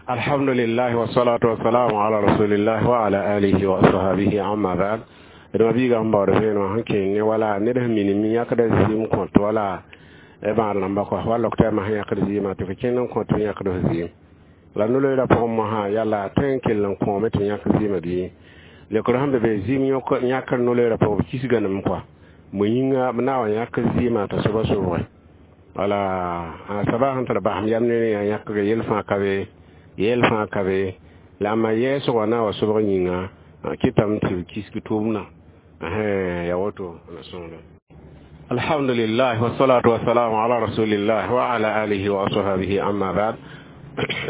Alhamdulillah wassalatu wassalamu ala rasulillah wa ala alihi wa ashabihi, amma ba'd. D ma biiga sẽn baood vẽenemã sẽn kẽng ne wala ned sẽn minim n yãkda zɩɩm kõt wala bãad rãmba kɔa wa lɔk tɩ a sẽn yãkd zɩɩmã tɩ fo kẽnd n kõt tɩ yãkd f zɩɩm la no-loeera pʋgẽ mosã yala tõe n kell n kõome tɩ yãk zɩɩmã bɩ lekr sẽn be be zɩɩm yãkr no-loeera pʋgẽ b kisga nem kɔa mo yĩnga b na wa yãk zɩɩmã t'a soaba sobge wala a saba sẽn tar basem yam ne yaa yãkg yel fãa ka be yel fãa ka be la a ma yɛɛsgã na wa sobg yĩnga kɩtame tɩ b kisg tʋʋmdã ya woto na sõngda. Alhamdulillah wassalatu wassalamu ala rasulillah wa ala alihi wa ashabihi, amma ba'd.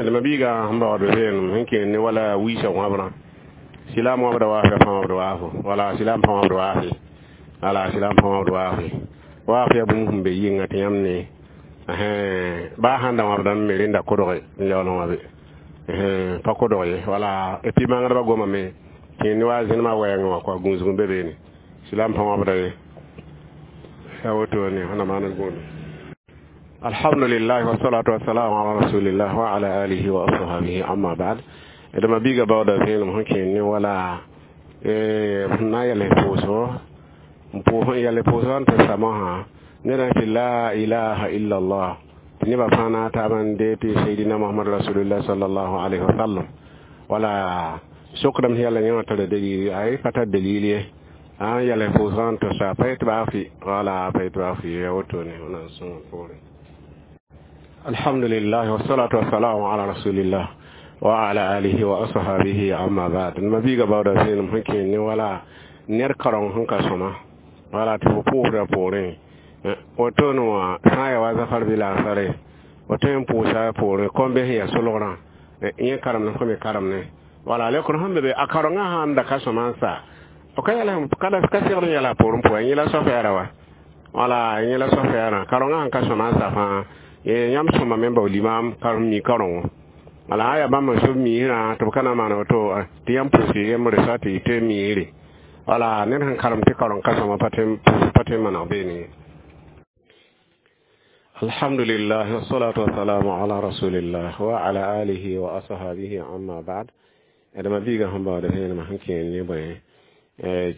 D ma biiga sẽn baood vẽenem sẽn kẽen ne wala wiisa wãbrã silaam wãbda waafã pa wãbd waafo wala silaam pa wãbd waafe wala silaam pa wãbd waafe waaf yaa bũmb sẽn be yɩnga tɩ yãmb ne baa sãn da wãbdame me rẽnda kodge n yaool n wãbe pa kodg ye wala et puis mangdbã gomame kẽen ne wa zẽnemã wɛɛngẽ wã kɔa gũusg n be beene silaam pa wãbda ye ya woto ne wẽnnaam maan d gũudu. Alhamdulillah wassalatu wassalamu ala rasulillah wa ala alihi wa ashabihi, amma ba'd. D ma biiga baooda vẽenem sẽn kẽen ne wala sẽn na n yɛls pʋʋsgo n pʋʋs n yɛls pʋʋsgã n tɩ sa mosã ned tɩ la ilaha illa allah tɩ nebã fãa na taab n dee tɩ sayidina Mohamad rasulillah sallallahu alaihi wa sallam wala sokdame sẽn yɛl yẽ wã tara dalil ay pa tar dalil ye a n yɛls pʋʋsgã n tɩ sa pa yet baa fɩ wala pa yet baa fɩ ya wotone wẽnnaam sõng poorẽ. Alhamdulillah wassalatu wassalamu ala rasulillah wa ala alihi wa ashabihi, amma ba'd. Ma biiga baooda vẽenem sẽn kẽen ne wala ned kareng sẽn ka sõma wala tɩ fo pʋʋsda poorẽ wotone wã sã n ya wa zafar bɩ laasare fo tõe n pʋʋsa poorẽ kõn-bes sẽn ya solgrã yẽ karemd fo me karemne wala lekr sẽn be be a karengã sãn da ka sõma n sa f ka yɛl ka segd n yɛla poorẽ pʋgẽ yẽ la soafɛɛra wa wala yẽ la soafɛɛrã karengã sẽn ka sõma n sa fãa yãmb sõma me bao limaam karem mi karengo wala a yaa bãmb n sob miisrã tɩ b ka na n maan woto tɩ yãmb pʋʋs yembre sa tɩ tɩ miisre wala ned sẽn karem tɩ kareng ka sõma pa tõe n maneg beene. Alhamdulillah wassalatu wassalamu ala rasulillah wa ala alihi wa ashabihi, amma ba'd. D ma biiga sẽn baood vẽenemã sẽn kẽen ne bõe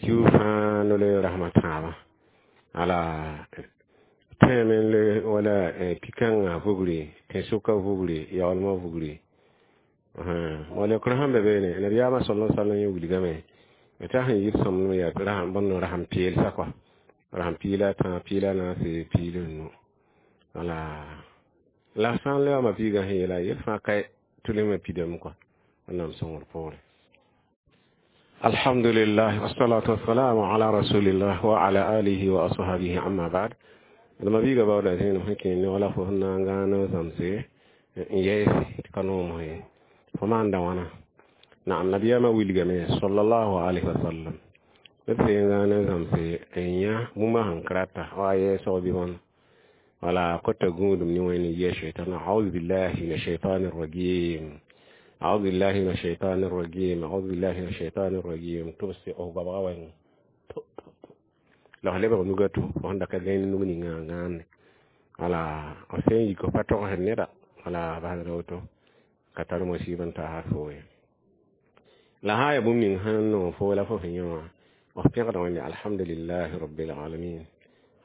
kiu fãa no-loe rasmã tãabã ala tõeme n le wala pi-kãngã vugri tẽn-sʋka vugri yaoolmã vugri wa lekr sẽn be beene nabiyaamã sala sallam yẽ wilgame t'a sẽn yit sõmblem yaa bõnd rasem peelsa kɔa rasem piila tã piila naase piil n nu wala la sã n le wã ma biigã sẽn yeela yel fãa ka tʋlmã pidame kɔa wẽnnaam sõngr poorẽ. Alhamdulillah wassalatu wassalamu ala rasulillah wa ala alihi wa ashabihi, amma ba'd. D ma biiga baooda zẽenem sẽn kẽen ne wala fo sẽn na n gãan n zãmse n yɛɛse tɩ ka noom ye fo maanda wãna naam nabiyaamã wilgame sallallahu alaihi wasallam b sẽn gãan n zãmse n yã bũmba sẽn ka rata wa a yɛɛsg bɩ wãna wala kota gũudum ne wẽnd yɛ shaitan أعوذ بالله من الشيطان الرجيم، أعوذ بالله من الشيطان الرجيم، أعوذ بالله من الشيطان الرجيم tɩ b sɛ f goabga wɛɛngẽ la f lebg nuga tʋ fo sẽn da ka gãe nug ninga n gãande wala f sẽn yik f pa togsd neda wala basda woto ka tar musiba n taasa fo ye la sã n yaa bũmb ning sẽn nong fo la fo sẽn yẽ wã f pẽgda Wẽnde alhamdulillahi rabbil alamin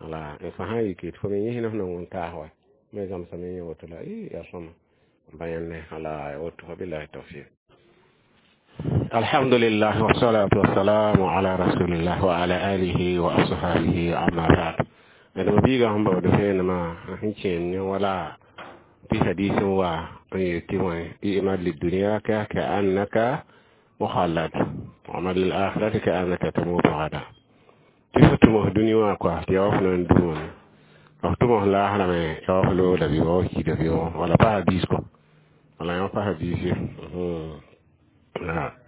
wala n fo sã n yike tɩ fo me yẽsn f nong n taas wa me zãmsame yẽ woto la yaa sõma bã yãnne wala woto wabillahi tawfiq. Alhamdulillah wassalatu wassalamu ala rasulillah wa ala alihi wa ashabihi, amma ba'd. D ma biiga sẽn baood vẽenemã sẽn kẽen ne wala tɩ hadis n wa n yel tɩ wã i'mal lidunyaka ka annaka mukhallad amal lil akhirati ka annaka tamutu gada tɩ fo tʋm f dũni wã kɔa tɩ yaa wa fo na n dũwame f tʋm f laasrã me yaa wa fo looda bɩ wa kiida bɩ wala pa hadis kɔ wala yã pa hadis ye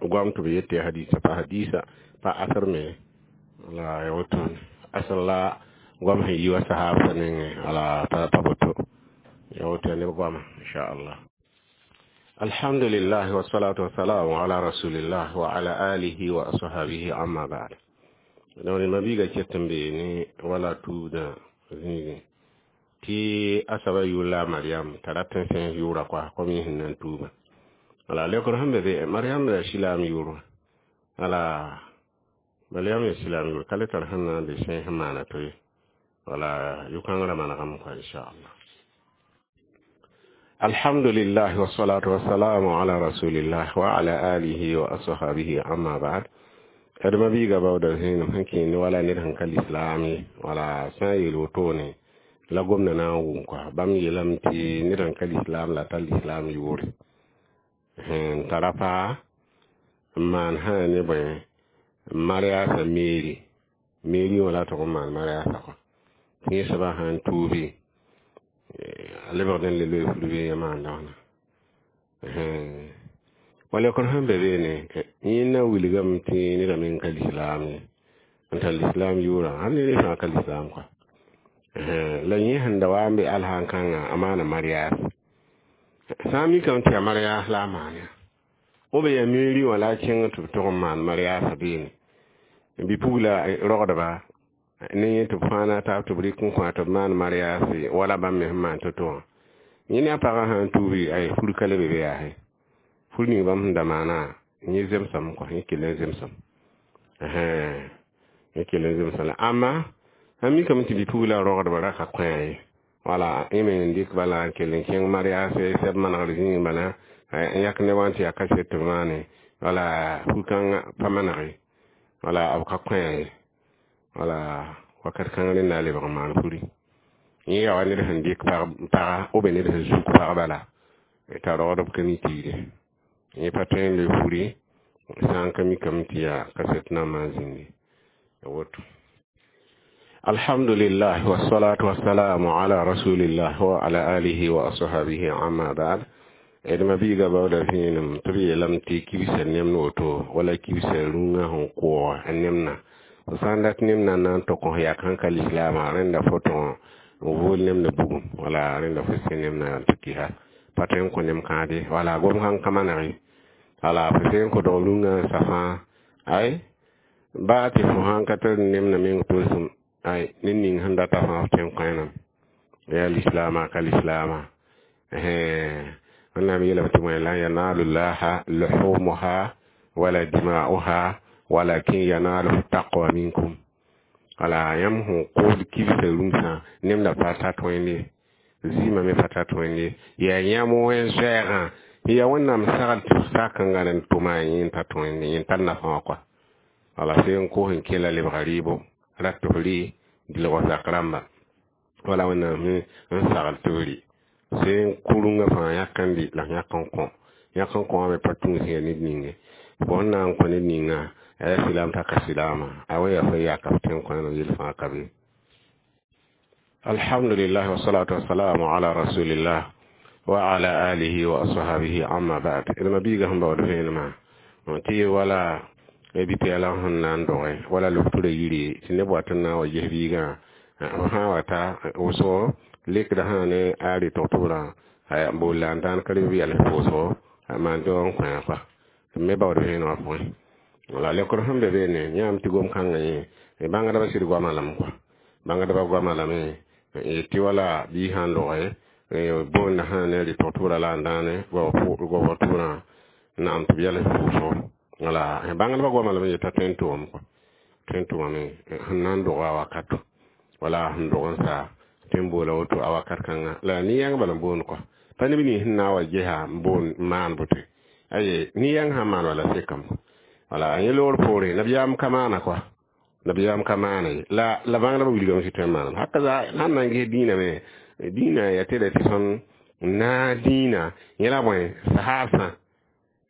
goam tɩ b yet tɩ hadisa pa hadisa pa asr me wala ya woto asr la goam sẽn yi wa sahab nengẽ wala pa boto ya woto neb goama inchallah. Alhamdulillah wassalatu wassalamu ala rasulillah wa ala alihi wa ashabihi, amma ba'd. Donc ma biiga ket n bee ne wala tuubdã zĩigẽ tɩ a soaba yʋʋr la a Mariam t'a rat n sẽs yʋʋra koa kom yẽ sẽn na n tuubã. Wala lekor sẽn be be Mariam la silaam yʋʋr wala Mariam ya silaam yʋʋr ka le tar sẽn na n be sẽn sẽn maana to ye wala yʋ-kãngrã manegame kɔa inchallah. Alhamdulillah wassalatu wassalamu ala rasulillah wa ala alihi wa ashabihi amma ba'd. D mabiiga baooda zẽenem sẽn kẽend wala ned sẽn ka lislaam ye wala sã n yeel wotone la gomda na n wʋm kɔa bãmb yeelame tɩ ned sẽn ka lislaam la tar lislaam yʋʋre n tara paa n maan sã ne bõe mariasa meeri meeri wã la tʋg n maan mariasa kɔ tɩ yẽ soabã sã n tuubi a lebgd n le loe fulbe yã maanda wãna wa lekr sẽn be beene yẽ na wilgame tɩ neda meng ka lislaam ye n tar lislaam yʋʋrã sãn ne ne fãa ka lislaam kɔa la yẽ sẽn da wa n be alsãn kãngã a maana marias sã n mikame tɩ yaa marias la a maan ya b yaa meeri wã la a kẽng tɩ b tʋg n maan mariasã beene bɩ-pugla rogdba ne yẽ tɩ b fãa na taab tɩ b rɩk n kõ tɩ b maan mariase wala bãmb me sẽn maan to-to wã yẽ ne a pagã sã n tuubi ay fur ka le be be yaase fur ning bãmb sẽn da maana yẽ zemsame kɔ yẽ kell n zemsame yẽ kell n zemsame la ãmba sãn mikame tɩ bɩ-pugla rogdba ra ka kõa ye wala yẽ me n dɩk bala n kell n kẽng mariase sɛb manegr zĩig bala n yak neb wã tɩ yaa kaset tɩ b maane wala fu-kãngã pa maneg ye wala b ka kõa ye wala wakat kãng rẽnda a lebg n maan furi yẽ yaa wa ned sẽn dɩk paga b ned sẽn zuk pag bala t'a rogdb ka mi tiire yẽ pa tõe n le furi sã n ka mikame tɩ yaa kaset nambã n zĩndi woto. Alhamdulillah wassalatu wassalamu ala rasulillah wa ala alihi wa ashabihi amma ba'd. D mabiiga baooda vẽenem tɩ b yeelame tɩ kibsã nemd woto wala kibsã rũngã sẽn koog n nemna fo sã n dat nemna n na n tʋk f yak sẽn ka lislaamã rẽnda fo tõg n vool nemda bugum wala rẽnda fo sẽ nemna n tɩ kisa pa tõe n kõ nem kãade wala gom sãn ka maneg ye wala fo se n kõ dog rũngã n sa fãa ay baa tɩ fo sãn ka tar nemna meng tolsem ay ned ning sẽn data fãa f tõe n kõ yaa lislaamã ka lislaamã wẽnnaam yeelame tɩ bõe lan yanalu llaha luhumuha wala dima'uha walakin yanaluhu taqwa minkum wala yãmb sẽn kʋʋd kibsã rũmsã nemda pa tar tõende zɩɩmã me pa tar tõende yaa yãmb wẽn-zoɛɛgã yaa wẽnnaam sagl tɩ f sak n gãd n tʋma yẽ n tar tõende yẽ n tar nafã wã kɔa wala se n kos n kela lebga rɩɩbo rat tɩ f rɩ dilg zak rãmba wala wẽnnaam n sagl tɩ f rɩ se n kʋ rũngã fãa yãk n rɩ la yãk n kõ yãk n kõ wã me pa tũus ya ned ninge fo sẽn na n kõ ned ninga a yaa silaam t'a ka silaamã a wa yaa fo yaka f tõe n kõ yel fãa ka be. Alhamdulillah wassalatu wassalamu ala rasulillah wa ala alihi wa ashabihi amma ba'd. D mabiiga sẽn baood vẽenemã tɩ wala bɩ-pɛɛlã sẽn na n doge wala lobtura yire tɩ neb wat n na n wa ges biigã f sã n wa ta wʋsgo lekda sã ne a rɩ-tog-tʋbrã n bool la n dãan ka reb yɛls pʋʋsgo a maan tɩ n kõ kɔa tɩ me baood vẽenemã pʋgẽ wala lekr sẽn be beene yãam tɩ gom-kãngã yẽ bãngdbã sɩd goamã lame kɔa bãngdbã goamã lame tɩ wala bii sã n loge boonda sã ne rɩ-tog-tʋbrã la n dãane goabg tʋbrã naam tɩ b yɛls pʋʋsgo wala bãngdbã goamã lame yeta tõe n tʋgame kɔa tõe n tʋgame sẽn na n doga a wakato wala sẽn dog n sa tõe n boola woto a wakat kãnga la nin-yãng bala n boond kɔa pa neb nins sẽn na n wa gesa n boon n maan boto aye nin-yãng sãn maan wala sekame wala yẽ loor poore nabiyaam ka maana kɔa nabiyaam ka maana ye la la bãngdbã wilgame tɩ tõe n maaname haka sãn na n ges dĩinã me dĩinã yaa tɩ tɩ sõn na dĩinã yẽ la bõe sahaabsã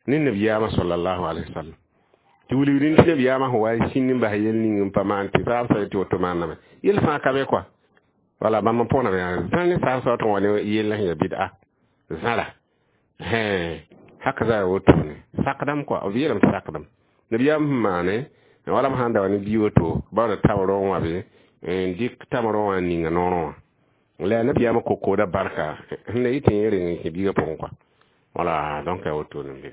ne nabiyaamã sallallahu alaihi wasallam tɩ wilgdẽ tɩ nabiyaamã sẽn wa n sĩnd n bas yel ning n pa maan tɩ saabsã tɩ woto maaname yel fãa ka be kɔa wala bãmb n pʋgna zã ne saabsã wa tɩ wa ne yell sẽn yaa bɩda zãra haka za wotone sakdam kɔa b yeelame tɩ sakdam nabiyaam sẽn maane wala b sãn da wa ne bii woto baood tamrõ wã be n dɩk tamrõ wã n ninga noorõ wã la yaa nabiyaamã kokooda barka sẽn na yɩ tɩ yẽ reng n kẽ biigã pʋgẽ kɔa wala donc yaa wotone n be.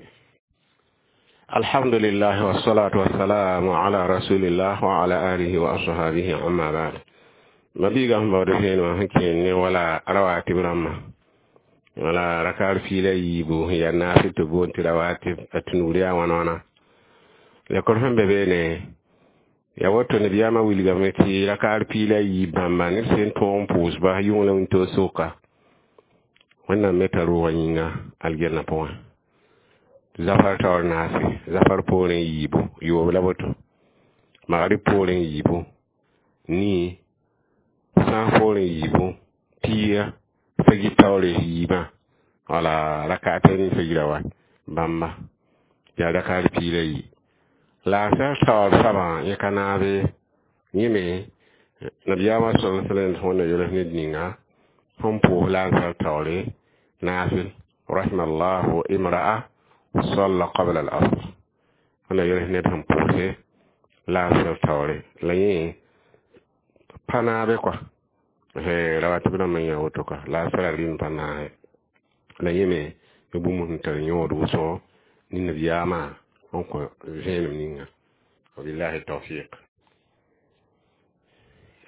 Alhamdulillah wassalatu wassalamu ala rasulillah wa ala alihi wa ashabihi amma ba'd. Mabiiga sẽn baood vẽenemã sẽn kẽend ne wala rawatib rãmbã Wala rakar piila yiibu sẽn yaa naasɩ tɩ boond tɩ rawatib a tɩ nuur yaa wãna wãna. Lekr sẽn be beene yaa woto nabiyaamã wilgame tɩ rakaar piila yiib bãmba ned sẽn tõog n pʋʋsba yʋng la wĩntoog soka. Wẽnnaam me t'a roogã yĩnga algɛnã pʋgẽ. Zafar taoor naase, zafar poorẽ yiibu, yoob la woto. Magrib poorẽ yiibu, nii, sãas poorẽ yiibu, pia, fajir taoore yiibã. Wala rakatayni fajira wa bãmba yaa rakaar piila yi. La a sar taoor soabã yẽ ka naabe yẽ me nabiyaamã sallallahu alaihi wasallam wẽnna yols ned ninga sẽn pʋʋs la n sar taoore naafɩl rahimallahu imra'a salla qabla al-asr. Wẽnna yols ned sẽn pʋʋse la n sar taoore la yẽ pa naabe kɔa rawatib rãmbã yã woto kɔa la a sara rɩɩm pa naase la yẽ me bũmb sẽn tar yõod wʋsgo ne nabiyaamã n kõ vẽenem ninga. Wabillahi tawfiq.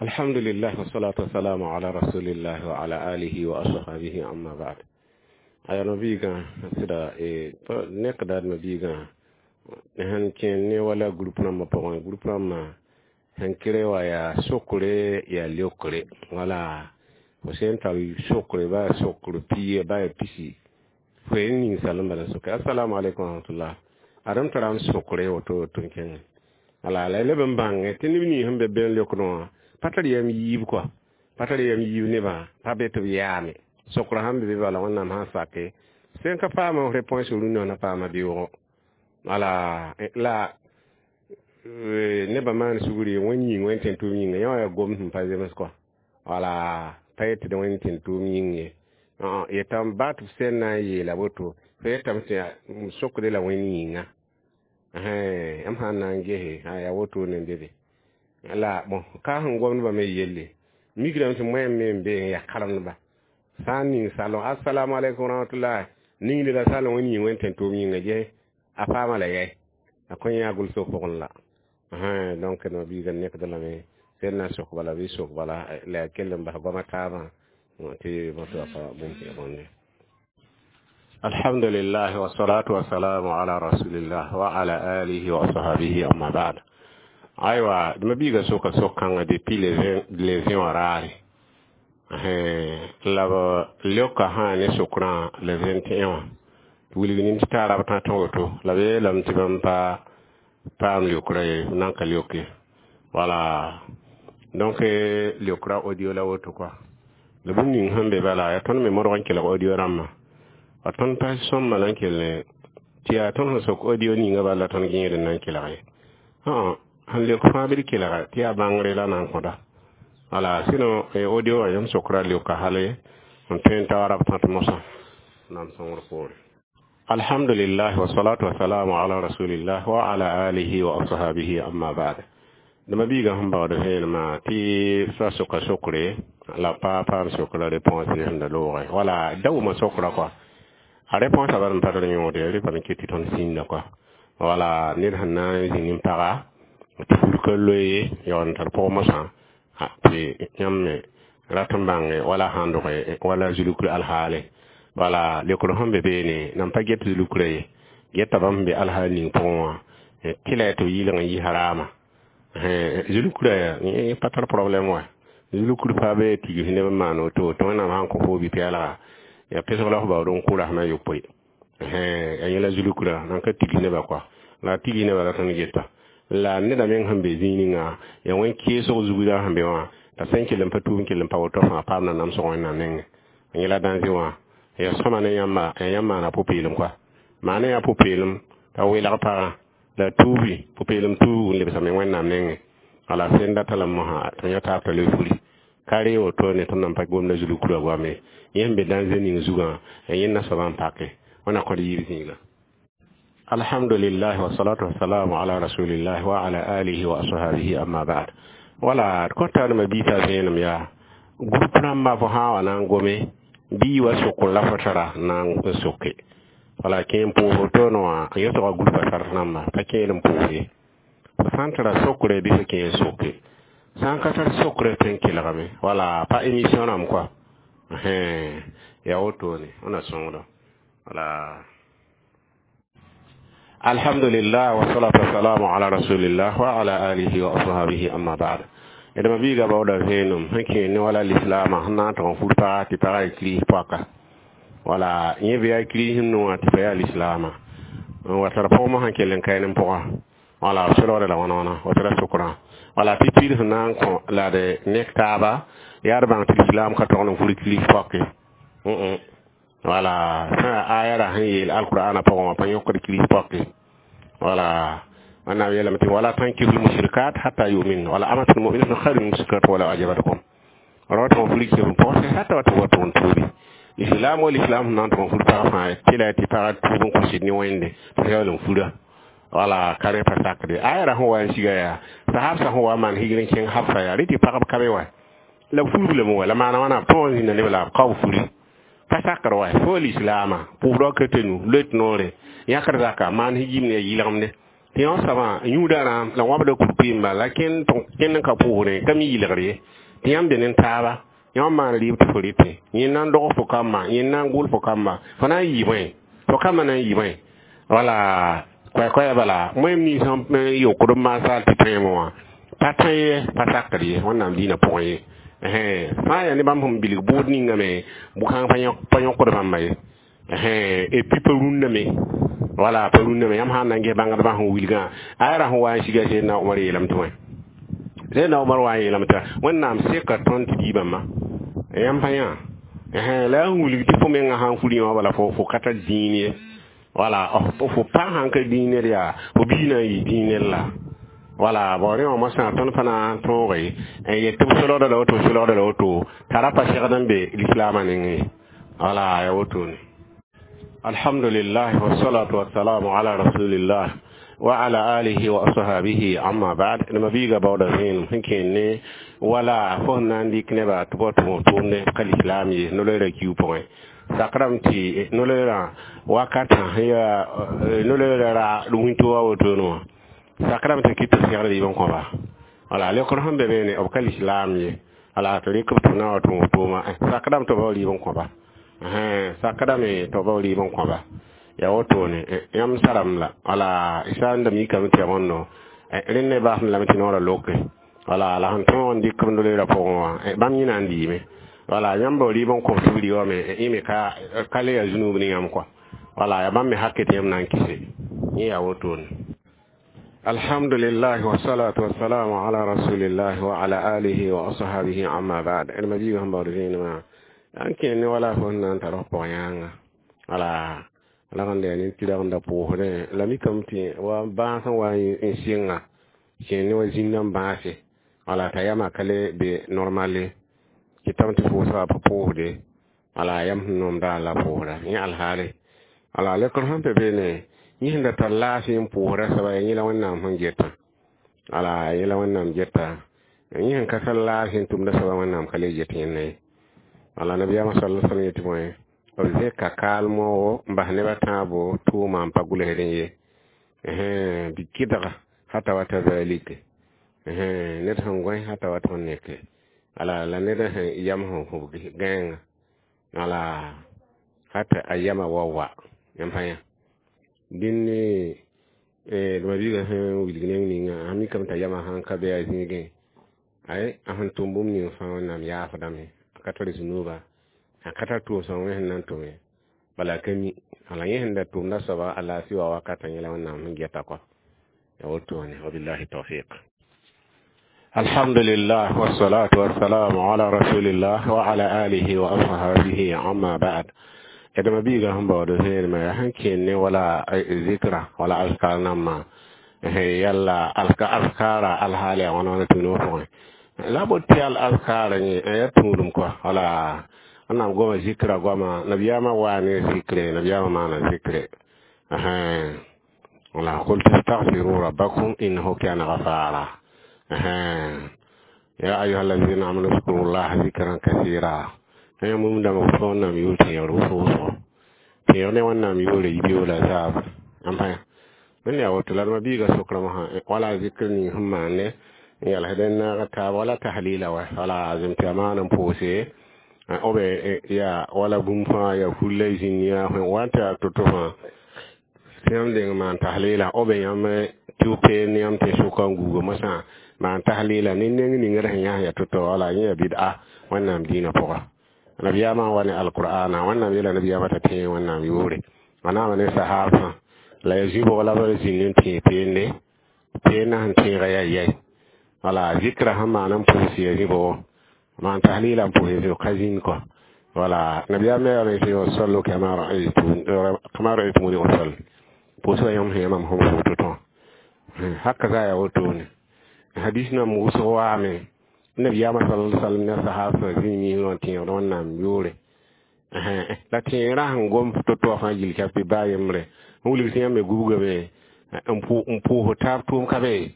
Alhamdulillah wassalatu wassalamu ala rasulillah wa ala alihi wa ashabihi amma ba'd. Aya no biigã sɩda nekda d biigã sẽn kẽ ne wala groupe rãmbã pʋgẽ groupe rãmbã sẽn kere wa yaa sokre yaa leokre wala fo sẽn tar sokre ba yaa sokr pia ba yaa pisi fo yen ninsal n bala soke. Assalamu alaikum warahmatullah. Adem tara n sokre woto woto n kẽngẽ wala la leb n bãngẽ tɩ neb nins sẽn be bẽn leokdẽ wã pa tar yam yiib kɔa pa tar yam yiib nebã pa be tɩ b yaame sokra sãn be be bala wẽnnaam sã n sake sẽn ka paama réponse rũndã na paama beoogo wala la nebã maan sugri wẽn yĩng wẽn tẽn tʋʋm yĩnga yã wã yaa gom sẽn pa zems kɔa wala pa yetɩ d wẽn tẽn tʋʋm yĩng ye yetame baa tɩ f sẽn na n yeela woto fo yetame tɩ m sokde la wẽnd yĩnga m sãn na n gese yaa woto ne be be la bon ka sẽn gomdbã me yelle migrame tɩ moɛm me n be n yaa karemdba sã n ning salõ assalamu alaikum warahmatullah ningde la salõ wẽnd yĩng wẽn tẽn tʋʋm yĩnga ges a paama la yɛ a kõn yã gʋlsg pʋgẽ la donc no biiga nekd lame sẽn na sok bala bɩ sok bala la yaa kell n bas goamã taabã tɩ bõe pa bũmb sẽn bõnde. Alhamdulillah wassalatu wassalamu ala rasulillah wa ala alihi wa ashabihi amma ba'd. Aywa d ma biiga soka sok-kãngã depuis le 20 wã raare la b leoka sã ne sokrã le 21 wã tɩ wilg nin tɩ taa rab tã tõ woto la b yeelame tɩ bãmb pa paam leokra ye nan ka leoke wala donc leokra audio la woto kɔa la bũmb ning sẽn be bala yaa tõnd me modg n kelg audio rãmbã a tõnd pa sõmba la n kell tɩ yaa tõnd sẽn sok audio ninga bala la tõnd gẽed n na n kelg ye sẽn leok fãa bɩ d kelga tɩ yaa bãngre la na n kõda wala sinon audio wã yãmb sokra leoka hale n tõe n ta rab tãt mosã nam sõngr poore. Alhamdulillah wassalatu wassalamu ala rasulillah wa ala alihi wa ashabihi amma ba'd. Dama biiga sẽn baood vẽenemã tɩ fa soka sokre la pa paam sokra réponse sẽn da loogẽ wala da wʋma sokra kɔa a réponse a bal n pa tar yõode rɩ pa n ket tɩ tõnd sĩnda kɔa wala ned sẽn na n zĩ nin-paga tɩ fulka loe yaool n tar pʋg mosã tɩ yãmb me rat n bãnge wala sãn doge wala zulukr alhaale wala leokr sẽn be beene nan pa get zulukra ye geta bãmb sẽn be alhaal ning pʋgẽ wã tɩ la tɩ b yɩlg n yɩ harama zulukra pa tar problème wa zulukr pa be tigs neb n maan woto tɩ wẽnnaam sãn kõ fo bi-pɛɛlga ya pesg la f baood n kʋ rasmã yopoe a yẽla zulukra nan ka tigs nebã kɔa la tigs nebã la tõnd geta la neda meng sẽn be zĩig ninga yaa wẽn keesg zugdã sẽn be wã t'a sẽn kell n pa tuub n kell n pa woto fãa paam na namsg wẽnnaam nengẽ yẽla dãnze wã ya sõma ne yãmba ya yãmb maana pʋ-peelem kɔa maana yaa pʋ-peelem t'a welg pagã la tuubi pʋ-peelem tuub n lebsame wẽnnaam nengẽ wala sẽn data la mosã tɩ yã taab t'a le furi ka re woto ne tõnd nan pa gomda zulukra goame yẽ sẽn be dãnze ning zugã ya yẽnda soabã n pake wẽna kõd yiib zĩiga. Alhamdulillah wassalatu wassalamu ala rasulillah wa ala alihi wa ashabihi amma ba'd. Wala kõta d ma biita vẽenem yaa groupe rãmbã fo sã n wa na n gome bii wa sokr la fo tara na n soke wala kẽ n pʋʋs wotoone wã n yõsga groupa sar rãmba pa kẽed n pʋʋs ye fo sã n tara sokre bɩ fo kẽ n soke sã n ka tar sokre tõe n kelgame wala pa émission rãmb kɔa Yaa wotone wẽna sõngdo. Wala alhamdulillah wassalatu wassalamu ala rasulillah wa ala alihi wa ashabihi, amma ba'd. D ma biiga baooda vẽenem sẽn kẽer ne wala lislaamã sẽn na n tog n fur paga tɩ pagã yaa kirist poaka, wala yẽ bɩ yaa kirist sẽn wã tɩ pa yaa lislaamã n wa tar pʋgmã sẽn kell n kae ne pʋga, wala b solgda la wãna wãna woto la sokrã, wala tɩ piid sẽn na n kõ la d nek taaba yaa d bãng tɩ lislaam ka tog n fur kirist poake. Wala sã yaa aya ra sẽn yeel alqur'ana pʋgẽ wã pa yõkd kirist poake. Wala wẽnnaam yeelame tɩ wala tankihu lmushrikat hatta yumin wala amatun muminatun khairu min mushrikat wala ajabatkum. Ra tɩ fur kɩs pɔgse hata wa tɩ wa tʋg n tuubi islam wala islam sẽn na n tʋg n fur pag fãa tɩ la tɩ pagã tuub n kõ sɩd ne wẽnde tɩ yaool n fura, wala ka rẽ pa sakde. Aya ra sẽn wa n siga yaa sahab sã sẽn wa n maan higr n kẽng Hafsa yaa rẽ tɩ pagb ka be wa la b furb lame wa la maana wãna b tõog n zĩnda neb la b ka b furi pa sakr wa fo lislaamã pʋʋsdã ka tɩ nu loet noore yãkr zaka maan higim ne yɩlgemde tɩ yõ soabã yũuda rãam la wãbda kurkʋɩmba la kẽnd n ka pʋʋsrẽ ka mi yɩlgr ye tɩ yãmb be ne taaba yãmb maan rɩɩb tɩ fo rɩtẽ yẽ na n dog fo kamba, yẽ na n gʋl fo kamba, fo na n yɩ bõe, fo kambã na n yɩ bõe, wala koɛ-koɛɛ bala moẽm nins sẽn yokd n maasal tɩ tõeeme wã pa tõe ye pa sakd ye wẽnnaam dĩinã pʋgẽ ye. Sã n yaa ne bãmb sẽn bilg bʋʋd ningame bʋ-kãng pa yõkd bãmba ye et puis pa rũnname, wala pa rũnname yãmb sã n na n ges bãngdbã sẽn wilgã aya ra sẽn wa n siga Seydna Omar yeelame tɩ wẽ Seydna Omar wa n yeelame tɩ Wẽnnaam seka tõnd tɩ diibãmbã yãmb pa yã la yaa n wilg tɩ fo mengã sã n fur yã wã bala fo ka tar dĩin ye, wala fo pa sãn ka dĩin yaa fo bii na n yɩ dĩin la wala bao rẽ wã moasã tõnd pa na n tõoge n yet tɩ b solgda la woto, solgda la woto t'a ra pa segd n be lislaamã nengẽ, wala ya wotone. Alhamdulillah wassalatu wassalamu ala rasulillah wa ala alihi wa ashabihi, amma ba'd. D ma biiga baooda vẽenem sẽn kẽer ne wala fo sẽn na n dɩk nebã tɩ b wa tʋg tʋʋmde ka lislaam ye no-loeerã kiu pʋgẽ sakrame tɩ no-loeerã wakatã sẽn yaa no-loeerã ra wĩnto wa wotone wã sakrame tɩ kɩt tɩ segd rɩɩb n kõba, wala lekr sẽn be beene b ka lislaam ye, wala tɩ rɩk b tɩ na wa tʋg tʋʋma sakrame tɩ b bao rɩɩb n kõba, sakdame tɩ b bao rɩɩb n kõba yaa wotone yãmb saram la wala sã n da mikame tɩ ya bõndo rẽnd ne baasem lame tɩ noorã loke, wala la sẽn tõog n dɩk b no-loeerã pʋgẽ wã bãmb yẽ na n dɩɩme, wala yãmb bao rɩɩb n kõb tɩ b rɩ wame yẽ me ka le yaa zunub ne yãmb kɔa, wala yaa bãmb me hake tɩ yãmb na n kɩse yẽ yaa wotone. Alhamdulillah wassalatu wassalamu ala rasulillah wa ala alihi wa ashabihi, amma ba'd. D ma biiga sẽn baood vẽenemã n kẽer ne wala fo sẽn na n tar f pʋg yãnga, wala la sẽn yaa nin-tɩrgenda pʋʋsdẽ la mikame tɩ wa bãas n wa n sɩnga kẽer ne wa zĩnda n bãase, wala t'a yamã ka le be normale kɩtame tɩ pʋʋsga pa pʋʋsde, wala yam sẽn nomda la pʋʋsda yẽ alhaale, wala lekr sẽn pe beene yẽ sẽn da tar laafɩ n pʋʋsda soaba yẽ la Wẽnnaam sẽn geta, wala yẽ la Wẽnnaam geta yẽ sẽn ka tar laafɩ n tʋmda soaba Wẽnnaam ka le get yẽnda ye, wala nabiyaamã sal sallam yetɩ bõe b zẽka kaalmo n bas nebã tãabo tʋʋma n pa gʋlsdẽ ye bɩ kɩdga hata wata zalike ned sẽn gõe hata wat sẽn neke, wala la ned sẽn yam sẽn hubg gãenga, wala hata a yamã wa wa yãmb pa yã dĩn ne d ma biiga sẽn wilg neng ninga a mikame t'a yamã sãn ka be a zĩigẽ ay a sẽn tʋm bũmb ning fãa Wẽnnaam yaafdame a ka tar zunuba a ka tar tʋʋm wẽ sẽn na n tʋme bala ka mi wala yẽ sẽn da tʋmda soaba a laafɩ wa wakatã yẽla Wẽnnaam sẽn geta kɔ ya wotone. Wabillahi tawfiq. Alhamdulillah wassalatu wassalamu ala rasulillah wa ala alihi wa ashabihi, amma ba'd. D ma biiga sẽn baood vẽenemã yaa sẽn kẽer ne wala zikra wala azkar nambã yalla azkara alhaal yaa wãna wãna tũud pʋgẽ la bot tɩ al azkara yẽ yaa tũudum kɔa, wala wẽnnaam goama zikra goama nabiyaamã waa ne zikre nabiyaamã maana zikre, wala qul tastaghfiru rabbakum innahu kana ghafara ya ayuha alladhina amanu zkuru llaha zikran kathira. Yã mum dãmb wʋsg Wẽnnaam yʋʋr tẽegr wʋsg wʋsgo tẽeg ne Wẽnnaam yʋʋre yibeoola zaab n pa wẽnd yaa woto la d ma biiga sokraã wã wala zikr ning sẽn maande n yalsd n naag taab wala tahlila wa wala zem tɩ a maan n pʋʋse. Obe ya wala bũmb fãa ya fulla zĩnd ya wa n tɩ yaa to-to fãa tɩ yãmb deng maan tahlila obe yãmb tɩ b peend yãmb tɩ sʋka n guuga mosã maan tahlila ne neng ning d sẽn yãs ya to-to wala yẽ ya bid'a Wẽnnaam dĩinã pʋga. Nabiyaamã n wa ne alqur'ana, Wẽnnaam yeela nabiyaamã t'a tẽeg Wẽnnaam yʋʋre a naama ne sahaabsã la ya zĩ-bʋg la b zĩnd n tẽeg peende peendã sẽn tẽega yaa yɛi wala zikra sẽn maan n pʋʋs ya zĩ-bʋgo maan tahlila n pʋʋs ya ka zĩnd kɔ wala nabiyaam me yaa tɩ sallu kama ra'aytumuni usalli pʋʋsga yãmb sẽn yã mam sẽn pʋʋs to-to haka za ya wotone hadis nam wʋsg waame nabiyaamã sala sallam ne sahabsã zĩig misg wã tẽegd Wẽnnaam yʋʋre la tẽegrã sẽn gom to-to fãa gill ka tɩ baa yembre n wilg tɩ yãmb me gubgame n pʋʋs taab tʋʋm ka be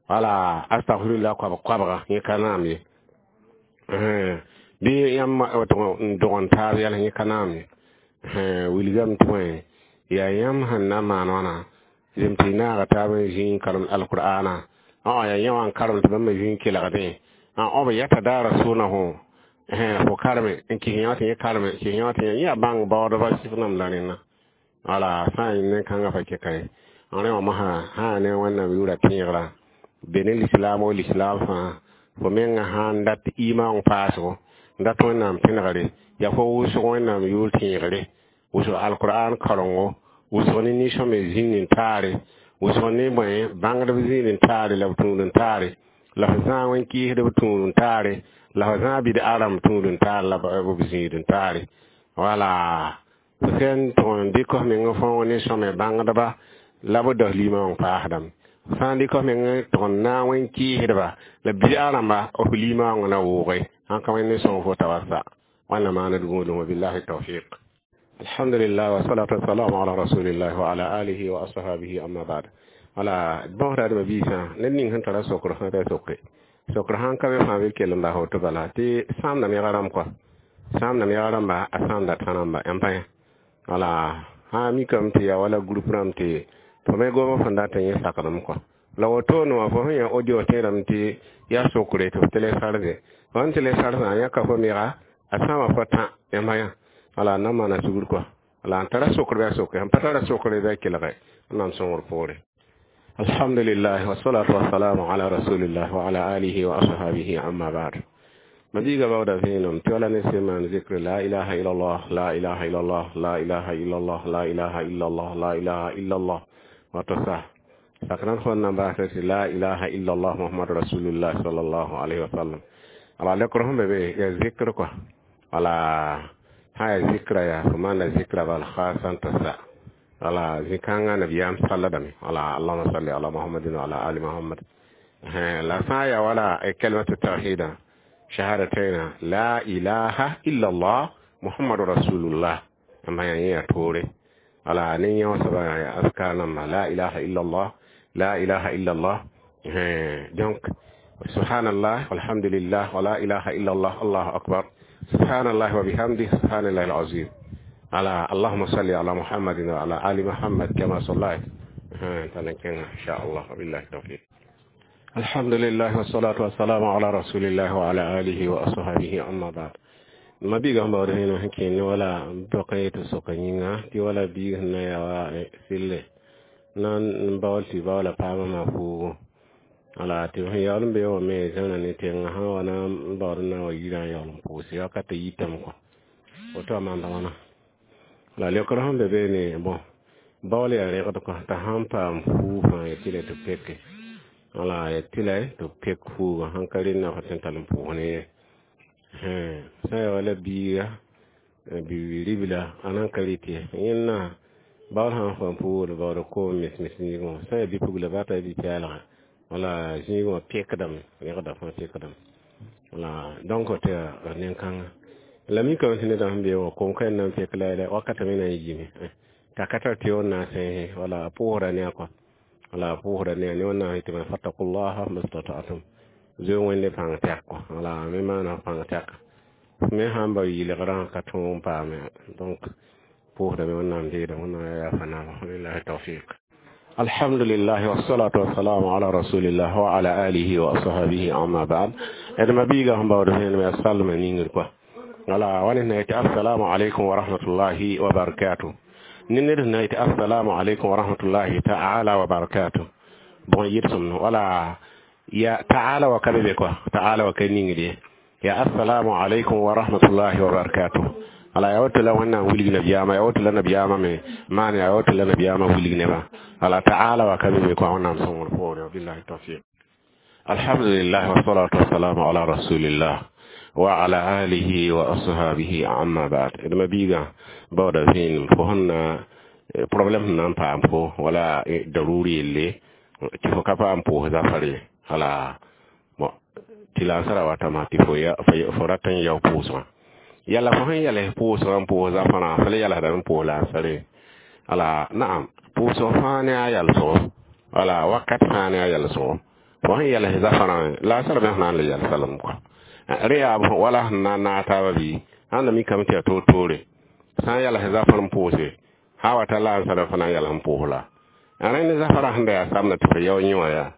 wala astagfirullah koabg koabga yẽ ka naam ye bɩ yãmb n dog n taab yɛls yẽ ka naam ye wilgame tɩ bõe yaa yãmb sẽn na n maan wãna zem tɩ y naaga taab n zĩ n karem alqur'ana yaa yã wã n karem tɩ bãmb zĩ n kelgdẽ b yatadarasunahu fo kareme n kɩs yã tɩ yẽ kareme kɩs yã tɩ yẽ yaa bãng baoodba sɩf nam la rẽnna wala sã n ne kãngã pa kɛka ye n rẽ wã mosã sã ne Wẽnnaam yʋʋra tẽegrã be ne lislaam o lislaam fãa fo menga sãn dat imaong paasgo n dat Wẽnnaam pẽnegre yaa fo wʋsg Wẽnnaam yʋʋr tẽegre wʋsg alqur'an karengo wʋsg ne nin-sõme zĩnd n taare wʋsg ne bõe bãngdb zĩnd n taare la b tũud n taare la f zãag wẽn-kɩɩsd b tũud n taare la f zãag bɩd-a rãmb tũud n taare la b zĩid n taare wala f sẽn tʋg n dɩk f meng fõog ne sõme bãngdba la b das limã paasdame sã n dɩk f meng tʋg n naag wẽn-kɩɩsdba la bɩd-a rãmba f limã na wʋʋge sãn ka wẽnd ne sõng fo tawasa wãnna maaned gũudum wabillahi tawfiq. Alhamdulillah wa salatu wassalamu ala rasulillah wa ala alihi wa ashabihi amma ba'd. Wala bõsda d biisã ned ning sẽn tara sokr fãa t'a sokre sokr sãn ka be fãa bɩ kell n bas woto bala tɩ sãamda yega rãmb kɔa sãamda yega rãmba a sãamda tã rãmba yãmb pa yã wala sã mikame tɩ yaa wala group rãmb tɩ fo me gom fõn dat n yẽ sakdem kɔ la wotone wã fo sẽn yã audio tẽedame tɩ yaa sokre tɩ f télécharge fo sẽn télécharge yãka fo mega a sãama fo tã yãmb pa yã wala n na maana sugr kɔa wala n tara sokr bɩ a soke sẽn pa tara sokre bɩ a kelge Wẽnnaam sõngr poore. Alhamdulillah wassalatu wassalamu ala rasulillah wa ala alihi wa ashabihi amma ba'd. Mabiiga baooda vẽenem tɩ wala ne sẽn maan zikr la ilaha illallah la ilaha illallah la ilaha illallah la ilaha illallah la ilaha illallah wato sa sakran fõn na n baasã tɩ la ilaha illallah Muhammad rasulullah sallallahu alaihi wasallam ala lekr sẽn be be ya zikr kɔa wala sã yaa zikra yaa fo maanda zikra bal khasan t'a sa wala zĩ-kãngã nabiyaam salladame wala allahuma salli ala Muhammadin wa ala ali Muhammad la sã n yaa wala kalimatu tawhida shahadataina la ilaha illallah Muhammadu rasulullah ãmba yaa yẽ yaa toore wala ne yã wã soaba yaa askar namba la ilaha illallah la ilaha illallah. Donc subhanallah walhamdulillah wa la ilaha illallah allahu akbar subhanallah wa bihamdih subhanallah alazim ala allahumma salli ala Muhammadin wa ala ali Muhammad kama sallayt tala insha Allah wabillahi tawfiq. Alhamdulillah wassalatu wassalamu ala rasulillah wa ala alihi wa ashabihi amma ba'd. Mabiiga sẽn baood vẽenem sẽn kẽnd wala bõk n yetɩ soka yĩnga tɩ wala biig sẽn na n yaa wa sɩlle na n baool tɩ baoola paamã maa fuugu wala tɩ sẽn yaool n be wã me zãna ne tẽngã sã n wa na n baood n na n wa yirã n yaool n pʋʋse wakat yitame kɔ woto a maanda wãna la leokr sẽn be beene bõn baool yaa rẽgd kɔ t'a sãn paam fuug fãa yetɩ la tɩ peke wala yetɩ la tɩ pek fuugã sãn ka rẽnna fo tõe n tall n pʋʋs ne ye sã n yaa wala biiga bi-ribla a nan ka rɩt ye yẽnna baool sãn fa n pʋʋgd baood koom mes-mes zĩigẽ wã sã n yaa bi-pugla baa t'a bi-pɛɛlgã wala zĩigẽ wã pekdame rẽgda fãa pekdame wala donc tɩ yaa nen-kãnga la mikame tɩ nedã sẽn be wã kom ka na n pek la wakatã me na n yiime t'a ka tar tɩ wẽn na n sẽese wala a pʋʋsda ne a kɔ wala a pʋʋsda ne a ne Wẽnnaam yetɩ me fattakullaha mastata'tum zoe Wẽnde pãng tɛk kɔ wala me maana pãng tɛka me sãn ba yɩlgrã ka tõog n paame donc pʋʋsdame Wẽnnaam deedã Wẽnnaam yaa yaafa naaba wabillahi tawfiq. Alhamdulillah wassalatu wassalamu ala rasulillah wa ala alihi wa ashabihi amma ba'd. D mabiiga sẽn baood vẽenem yaa salmã ningr kɔa. Wala wani na yetɩ assalamu alaikum wa rahmatullahi wa barakatuh. Ne ned sẽn na yetɩ assalamu alaikum wa rahmatullahi ta'ala wa barakatuh, bõe yɩdsem wala ya ta'ala wa ka be be kɔa, ta'ala wa ka ningd ye. Ya assalamu alaikum wa rahmatullahi wa barakatuh. Ala ya woto la wẽnnaam wilg nabiyaamã, ya woto la nabiyaamã me maan, ya woto la nabiyaamã wilg nebã. Ala ta'ala wa ka be be kɔa, wẽnnaam sõngr poore. Billahi tawfiq. Alhamdulillah, wassalatu wassalamu ala rasulillah wa ala alihi wa ashabihi, amma ba'd. D ma biigã baooda vẽenem fo sẽn na problème sẽn na n paam fo wala daruri yelle tɩ fo ka paam pʋʋs zafar ye. Wala bon, tɩ la n sara watama tɩ fo rat n yao pʋʋsgã. Yala fo sẽn yals pʋʋsgã n pʋʋs zafarã, fo le yalsdame n pʋʋs la n sare. Wala naam, pʋʋsg fãa ne a yalsgo, wala wakat fãa ne a yalsgo. Fo sẽn yals zafarã la a sar me sẽn na n le yalsa lame kɔa. Rẽ yaa wala sẽn na n naag taabã bɩ ãnda mikame tɩ yaa toor-toore. Sã n yals zafar n pʋʋse, sã wa ta la n sara fo na n yals n pʋʋs la rẽnd zafara sẽn da yaa samda tɩ fo yao yẽ wã yaa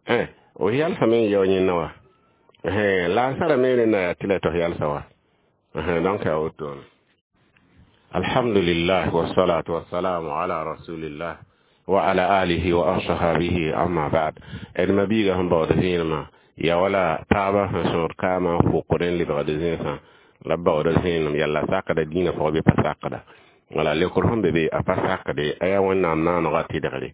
f yalsame n yao yẽnna wa la n sara me rẽnda yaa tɩ la tɩ f yalsa wa. Donc yaa wotone. Alhamdulillah, wassalatu wassalamu ala rasulillah wa ala alihi wa ashabihi, amma ba'd. D ma biiga sẽn baood vẽenemã ya wala taabã sẽn sõor kaamã n fokd n lebgd zẽnsã la b baooda zẽenem yalla sakda dĩinã pʋgã bɩ pa sakda. Wala lekr sẽn be be a pa sakde, a yaa Wẽnnaam naanegã tɩdgre.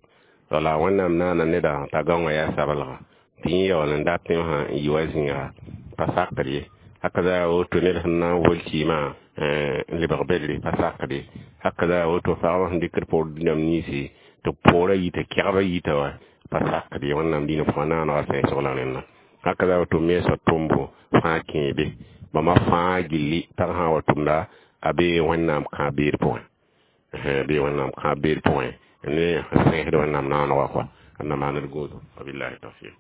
Wala Wẽnnaam naana neda t'a gãongã yaa sablga tɩ yẽ yaool n dat sã n yi wa zĩiga, pa sakd ye. Haka za woto ned sẽn na n wol kɩɩmã n lebg bedre, pa sakd ye. Haka za woto pagba sẽn dɩkd poor dũniyam ninsi tɩ poorã yita, kɛgba yita wa, pa sakd ye. Wẽnnaam dĩinã pʋgã naanegã sẽsg la rẽnna. Haka za woto mensã tʋmbo fãa kẽebe bãmba fãa gilli, pag sã n wa tʋmda a bee Wẽnnaam kãab-beed pʋgẽ, bee Wẽnnaam kãab-beed pʋgẽ ne sẽsd Wẽnnaam naanegã kɔa na maand gũudu. Wabillahi tawfiq.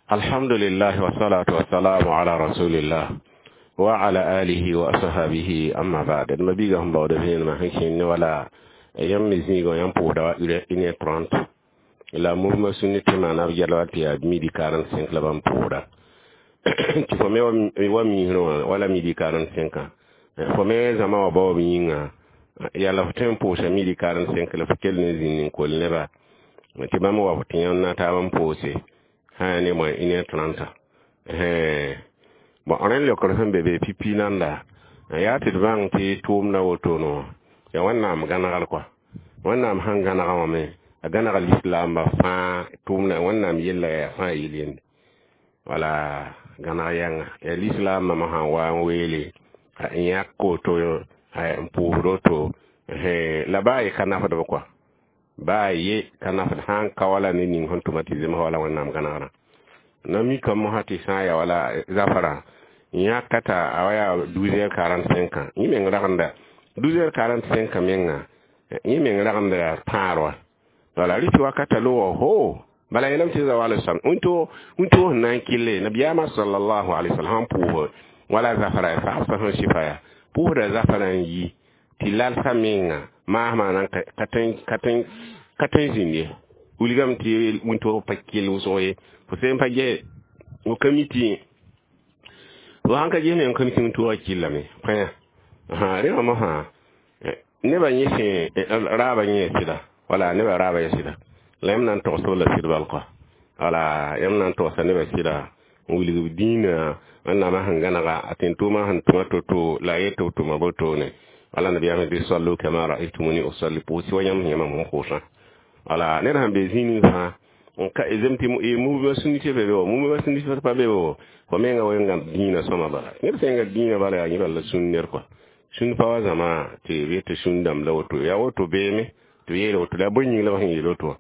Alhamdulillah, wassalatu wassalamu ala rasulillah wa ala alihi wa ashabihi, amma ba'd. D ma biiga sẽn baooda vẽenemã sẽn kẽnd ne wala yãmb me zĩigã, yãmb pʋʋsda wa 1h30 la mouvement sunnite maana b yɛl wa tɩ yaa midi 45 la bãmb pʋʋsda, tɩ fo me wa miisrẽ wã wala midi 45. Fo me zãma wã baoob yĩnga yala fo tõe n pʋʋsa midi 45 la fo kell ne zĩnd n kol neba tɩ bãmb wa fo tɩ yãmb na taab n pʋʋse sã yaa ne moã 1h30. Bon, rẽnd leokr sẽn be be pipi nanda yaa tɩ d bãng tɩ tʋʋmdã wotone wã yaa Wẽnnaam gãnegal kɔa. Wẽnnaam sẽn gãnega wã me a gãnega lislaambã fãa tʋʋmdã. Wẽnnaam yella yaa fãa yel yende wala gãneg yãnga yaa lislaambã me sãn wa n weele n yãk woto n pʋʋsd woto la baa ye ka nafdb kɔa, baa ye ka nafd sã n ka wala ne ning sẽn tʋma tɩ zemsa wala Wẽnnaam gãnegrã na mikame mosã tɩ sã n ya wala zafarã yãka t'a a wa yaa 12h45. Yẽ meng ragenda 12h45 menga, yẽ meng ragenda yaa tãar wa. Wala rɩtɩ wakata logo ho bala yeelame tɩ zawa alai salam wĩntoog sẽn na n kɩlle nabiyaamã sallallahu alaihi wasallam sãn pʋʋs wala zafara ya sagsã sẽn sɩfa ya pʋʋsda zafara n yi tɩ lalsã menga maasmã nan ka tõe n zĩnd ye. Wilgame tɩ wĩntoog pa kell wʋsg ye, fo sẽn pa ges fo ka mi tɩ fo sãn ka ges me n ka mi tɩ wĩntoogã kɩllame pãyã. Rẽ wã mosã nebã yẽ sẽn raabã yẽ sɩda, wala nebã raabã yẽ sɩda la yãmb na n togsb la sɩd bal kɔa. Wala yãmb na n togsa nebã sɩda n wilg b dĩinã Wẽnnaamã sẽn gãnega a tẽn-tʋʋmã sẽn tʋma to-to la a yet b tʋma botone. Wala nabiyaamã tɩ sallu kama raaytumuni usalli, pʋʋs wa yãmb sẽn yã mam sẽn pʋʋsã. Wala ned sãn be zĩig ning fãa n ka zem tɩ mouvement sunnite be be wa, mouvement sunnite pa be wa, fo menga wenga dĩinã sõma bala. Ned sẽn ga dĩinã bala yaa yẽ bala la sũn ner kɔa. Sũn pa wa zãma tɩ b yet tɩ sũn dãmb la woto yaa woto beeme tɩ b yeel woto la bõe yĩng la b sẽn yeel woto wã.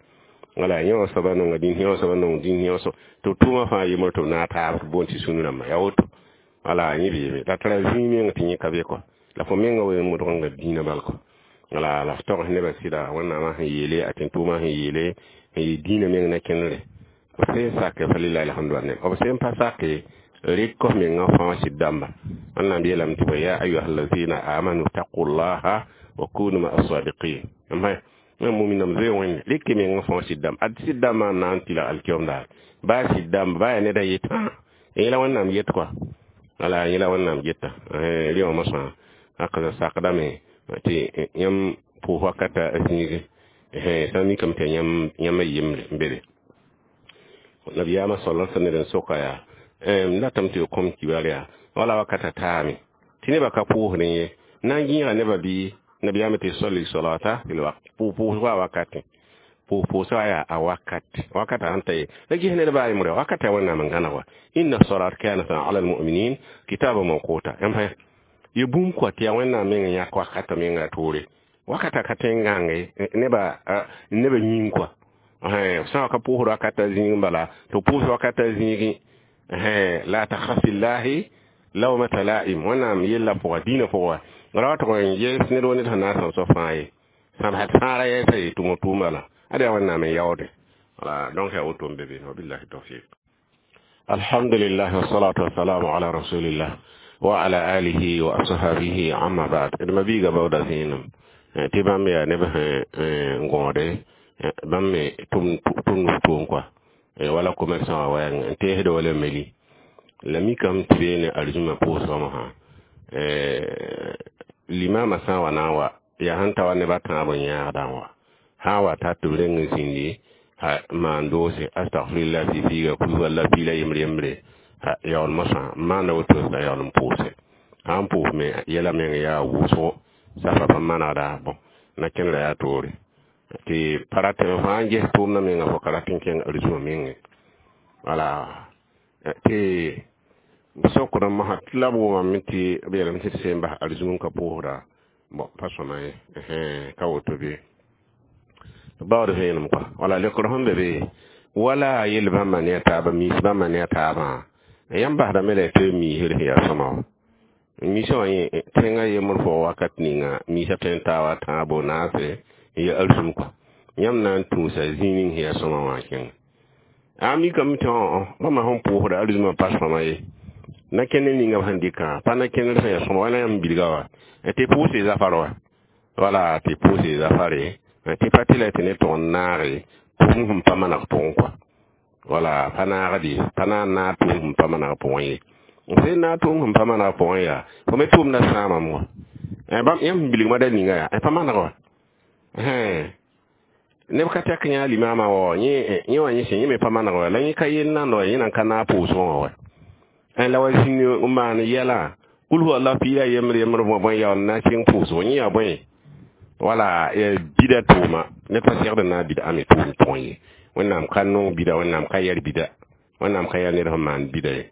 Wala yẽ wã soaba nonga dĩn, yẽ wã soaba nong dĩn, yẽ wã so tɩ b tʋʋmã fãa yembr tɩ b naag taab tɩ b boond tɩ sũn rãmba yaa woto. Wala yẽ beeme la tara zĩig meng tɩ yẽ ka be kɔa, la fo menga wen modg n ga dĩinã bal kɔa. Wala la f togs nebã sɩda Wẽnnaamã sẽn yeele a tẽn-tʋʋmã sẽn yeele n yɩ dĩinã meng na kẽnere. B sẽn sake, fa lillahi alhamdu ne b sẽn pa sake, rɩk f mengã fãa sɩd dãmba. Wẽnnaam yeelame tɩ ya ayuha allazina amanu taqullaha wa kunu ma asadiqin n muminam zoe Wẽnde rɩk mengã fãa sɩd dãmba. Ad sɩd dãmbã n na n tɩlg alkiom daar baa sɩd dãmba baa yaa neda yet yẽla Wẽnnaam yet kɔa. Wala yẽla wẽnnaam geta rẽ wã mosã hakaza sakdame tɩ yãmb pʋʋs wakata zĩige sã n mikame tɩ yãmb yembre n be be nabiyaamã sal sã ned n soka yaa m datame tɩ kõm kibar yaa wala wakata taame tɩ nebã ka pʋʋsdẽ ye na n gĩiga nebã bɩ nabiyaamã tɩ sali salata fil waqt pʋʋsga wakatẽ pʋʋsga yaa a wakat wakata sãn ta ye la ges ned baa yembre wakata ya wẽnnaam n gãneg wa inna salat kanat ala almuminin kitaba mawquta yãmb fa ye bũmb kɔa tɩ yaa wẽnnaam meng n yãk wakata menga toore wakata ka tõe n gãnge neba yĩng kɔa sã wa ka pʋʋsd wakata zĩig bala tɩ pʋʋs wakata zĩigẽ la takhaf fillahi lawmata la'im wẽnnaam yella pʋga dĩinã pʋga ra wa tʋg n yes ned wo ned sẽn na n sãm soab fãa ye sãmsd fãa ra yɛɛsa ye tʋm tʋʋm bala ada yaa wẽnnaam n yaoode wala donc yaa woto n be be wabillahi tawfiq. Alhamdulillah wassalatu wassalamu ala rasulillah wa ala alihi wa ashabihi, amma ba'd. D ma biiga baooda zẽenem tɩ bãmb yaa neb sẽn gõode bãmb me tʋm tʋʋm kɔa wala commerçant wã wɛɛng n teesd wala meli la mikame tɩ beene arzũmã pʋʋsgã mosã limama sã n wa na n wa yaa sẽn ta wa neb a tãab n yãagdã n wa sã n wa ta tɩ b reng n zĩndi ha maan doose astagfirullah fɩ-fɩɩga kuy walla piila yembre yembre ha yaool mosã n maanda woto la yaool n pʋʋse sã n pʋʋs me yɛla meng yaa wʋsgo safa pa manegda bõn na kẽnera yaa toore tɩ pa ratame fãa n ges tʋʋmdã menga fo ka rat n kẽng arzũmã menge wala tɩ sokd n mosã tɩ la b wʋmame tɩ b yeelame tɩ d seen bas arzũm n ka pʋʋsda bon pa sõma ye ka woto bɩ baood vẽenem kɔa wala lekr sẽn be be wala yel bãmba ne a taaba miis bãmba ne a taabã yãmb basdame la tɩ miisr sẽn yaa sõma wã miisã wã yẽ tẽngã yembr pʋgã wakat ninga miisã tõe n taa wa tãabo naase n ya arzũm kɔa yãmb na n tũusa zĩig ning sẽn yaa sõma wã kẽnga a mikame tɩ bãmba sẽn pʋʋsda arzũmã pa sõma ye na kẽnd ninga b sẽn dɩkã pa na kẽndr sẽn yaa sõma wala yãmb bilga wa tɩ pʋʋse zafar wa wala tɩ pʋʋse zafare tɩ pa tɩ la tɩ ne tʋg n naage tʋʋm sẽn pa maneg pʋgẽ kɔa wala pa naagde pa na n naag tʋʋm sẽn pa maneg pʋgẽ ye sẽn naag tʋʋm sẽn pa maneg pʋgẽ yaa fo me tʋʋmda sãamame wã bãmb yãmb sẽn bilgmã da ninga yaa pa maneg wa neb ka tɛk yã limaamã wa yẽ wã yẽ sẽn yẽ me pa maneg wa la yẽ ka yel nand wa yẽ nan ka naag pʋʋsgẽ wã wa la wa zĩnd n maan yɛlã kul huwa allah piila yembr yembr bõe yaool na kẽng pʋʋsgo yẽ yaa bõe wala bida tʋʋma ne pa segd na bida ame tʋʋm pʋgẽ ye wẽnnaam ka nong bida wẽnnaam ka yɛr bida wẽnnaam ka yɛr ned sẽn maan bida ye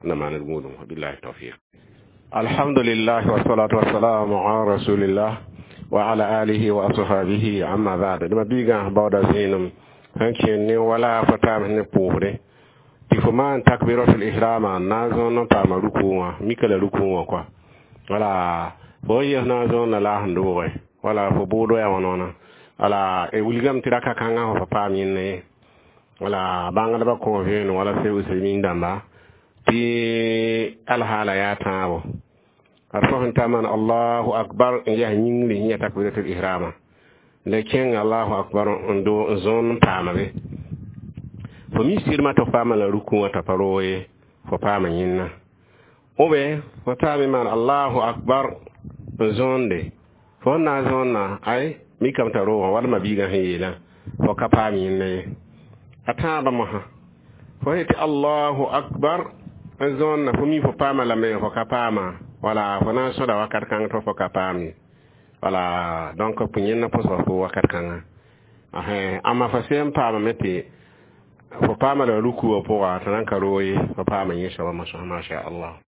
na maan d gũudum billahi tawfiq. Alhamdulillah wassalatu wassalamu ala rasulillah wa ala alihi wa ashabihi, amma ba'd. D ma biigã baooda zẽenem sẽn kẽnd ne wala fo taam ne pʋʋsde tɩ fo maan takbiratul ihrama n na n zõon n paama rukũ wã mika la rukũ wã kɔa wala fo n yes na n zõonna laas n doogẽ wala fo bʋʋdo yaa wãn-wãna wala wilgame tɩ raka kãngã fo pa paam yẽnna ye wala bãngdbã kõ vẽenem wala se usaimin dãmba tɩ alhaala yaa tãabo ad fo sẽn ta maan allahu akbar n yaa yĩngri sẽn yaa takbiratul ihrama la kẽng allahu akbar n do n zõon n paama be fo mi sɩdmã tɩ f paama la rukũ wã t'a pa roog ye fo paama yẽnna b fo taame maan allahu akbar n zõonde fo sẽn na n zõonna ay mikame t'a roogã wala biigã sẽn yeelã fo ka paam yẽnna ye a tãabã mosã fo yetɩ allahu akbar n zõonna fo mi fo paama lame fo ka paama wala fo na n sõda wakat kãng tɩ fo ka paam ye wala donc pʋ yẽnna pʋsga fo wakat kãngã amma fo sẽn paamame tɩ fo paama la ruku wã pʋga tɩ nan ka roog ye fo paama yẽ soaba mosã masha allah.